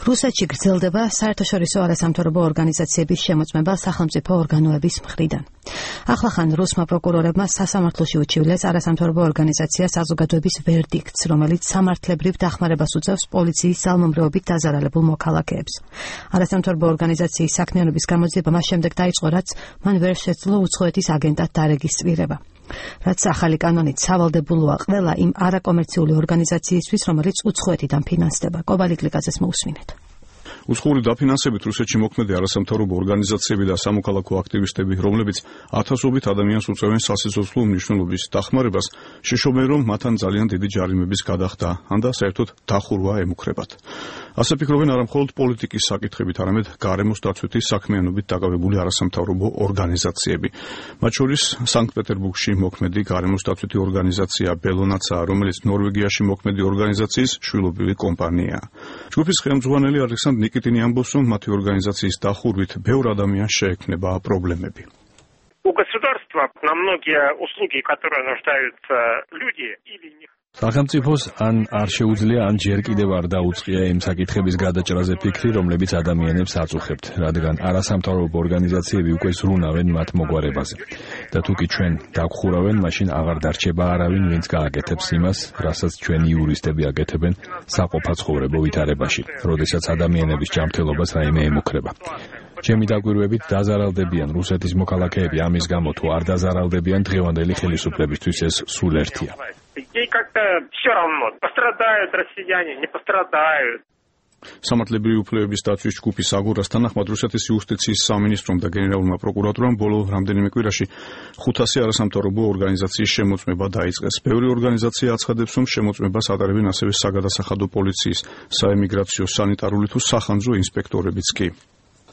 რუსეთში გრძელდება საერთაშორისო არასამთავრობო ორგანიზაციების შემოწმება სახელმწიფო ორგანოების მხრიდან. ახლახან რუსმა პროკურორებმა სასამართლოში უჩივლეს არასამთავრობო ორგანიზაცია საზოგადოების ვერდიქტს, რომელიც სამართლებრივ დახმარებას უწევს პოლიციის ძალმომრეობით დაზარალებულ მოქალაქეებს. არასამთავრობო ორგანიზაციის საქმიანობის გამოძიება მას შემდეგ დაიწყო, რაც მან ვერ შეძლო უცხოეთის აგენტად დარეგისტრირება. რაც ახალი კანონით სავალდებულოა ყველა იმ არაკომერციული ორგანიზაციისთვის, რომელიც უცხოეთიდან ფინანსდება. კობალიკლიკაძეს მოусმინეთ. უცხოური დაფინანსებით რუსეთში მოქმედი არასამთავრობო ორგანიზაციები და სამოქალაქო აქტივისტები, რომლებიც ათასობით ადამიანს უწევენ სასიცოცხლო მნიშვნელობის დახმარებას, შეშობენ, რომ მათთან ძალიან დიდი ჯარიმების გადახდა, ან და საერთოდ დახურვა ემუქრებათ. ასე ფიქრობენ არა მხოლოდ პოლიტიკის საკითხებით, არამედ გარემოს დაცვითი საქმიანობით დაკავებული არასამთავრობო ორგანიზაციები. მათ შორის სანქტ-პეტერბურგში მოქმედი გარემოს დაცვითი ორგანიზაცია ბელონაცაა, რომელიც ნორვეგიაში მოქმედი ორგანიზაციის შვილობილი კომპანიაა. ჯგუფის ხელმძღვანელი ალექსანდრ ნიკიტინი ამბობს, რომ მათი ორგანიზაციის დახურვით ბევრ ადამიანს შეექმნება პრობლემები. У государства на многие услуги, которые нуждаются люди, или не სახელმწიფოს ან არ შეუძლია, ან ჯერ კიდევ არ დაუწყია იმ საკითხების გადაჭრაზე ფიქრი, რომლებიც ადამიანებს აწუხებთ, რადგან არასამთავრობო ორგანიზაციები უკვე ზრუნავენ მათ მოგვარებაზე. და თუ კი ჩვენ დაგხურავენ, მაშინ აღარ დარჩება არავინ, ვინც გააკეთებს იმას, რასაც ჩვენი იურისტები აკეთებენ საყოფაცხოვრებო ვითარებაში, როდესაც ადამიანების ჯანმრთელობას რაიმე ემუქრება. ჩემი დაკვირვებით დაზარალდებიან რუსეთის მოქალაქეები, ამის გამო თუ არ დაზარალდებიან, დღევანდელი ხელისუფლებისთვის ეს სულ ერთია. Ей как-то все равно, пострадают россияне, не пострадают. სამართლებრივი უფლებების დაცვის ჯგუფის აგურას თანახმად რუსეთის იუსტიციის სამინისტრომ და გენერალურმა პროკურატურამ ბოლო რამდენიმე კვირაში 500 არასამთავრობო ორგანიზაციის შემოწმება დაიწყეს. ბევრი ორგანიზაცია აცხადებს, რომ შემოწმებას ატარებენ ასევე საგადასახადო პოლიციის, საემიგრაციო, სანიტარული თუ სახანძრო ინსპექტორებიც კი.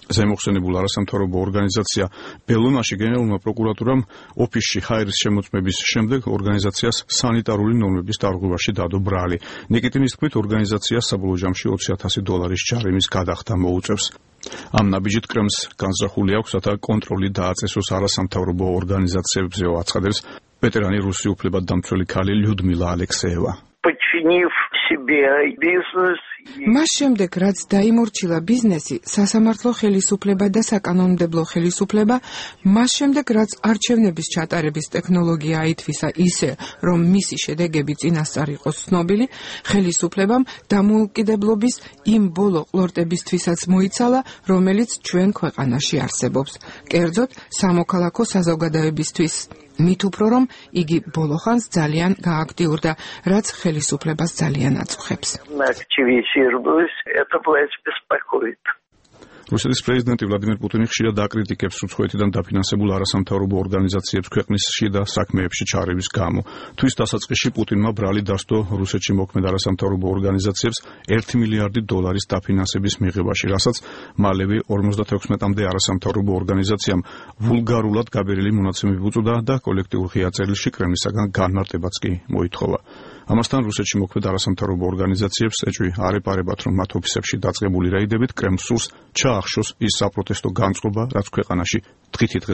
ზემოხსენებულ არასამთავრობო ორგანიზაცია ბელონაში გენერალურმა პროკურატურამ ოფისში ჰაერის შემოწმების შემდეგ ორგანიზაციას სანიტარული ნორმების დარღვევაში დადო ბრალი. ნიკიტინის თქმით, ორგანიზაციას საბოლოო ჯამში $20,000 ჯარიმის გადახდა მოუწევს. ამ ნაბიჯით კრემლს განზრახული აქვს, რათა კონტროლი დააწესოს არასამთავრობო ორგანიზაციებზე, აცხადებს ვეტერანი რუსი უფლებადდამცველი ქალი ლიუდმილა ალექსეევა. მას შემდეგ, რაც დაიმორჩილა ბიზნესი, სასამართლო ხელისუფლება და საკანონმდებლო ხელისუფლება, მას შემდეგ, რაც არჩევნების ჩატარების ტექნოლოგია აითვისა ისე, რომ მისი შედეგები წინასწარ იყოს ცნობილი, ხელისუფლებამ დამოუკიდებლობის იმ ბოლო ყლორტებისთვისაც მოიცალა, რომელიც ჩვენ ქვეყანაში არსებობს. კერძოდ, სამოქალაქო საზოგადოებისთვის. მით უფრო რომ იგი ბოლოხანს ძალიან გააქტიურდა, რაც ხელისუფლებას ძალიან აწუხებს. რუსეთის პრეზიდენტი ვლადიმერ პუტინი ხშირად აკრიტიკებს უცხოეთიდან დაფინანსებულ არასამთავრობო ორგანიზაციებს ქვეყნის შიდა საქმეებში ჩარევის გამო. თვის დასაწყისში პუტინმა ბრალი დასდო რუსეთში მოქმედ არასამთავრობო ორგანიზაციებს $1 მილიარდი დაფინანსების მიღებაში, რასაც მალევე 56-მდე არასამთავრობო ორგანიზაციამ ვულგარულად გაბერილი მონაცემები უწოდა და კოლექტიურ ღია წერილში კრემლისაგან განმარტებაც კი მოითხოვა. ამასთან რუსეთში მოქმედ არასამთავრობო ორგანიზაციებს ეჭვი არ ეპარებათ, რომ მათ ოფისებში დაწყებული რეიდებით კრემლს სურს ჩაახშოს ის საპროტესტო განწყობა, რაც ქვეყანაში დღითიდღე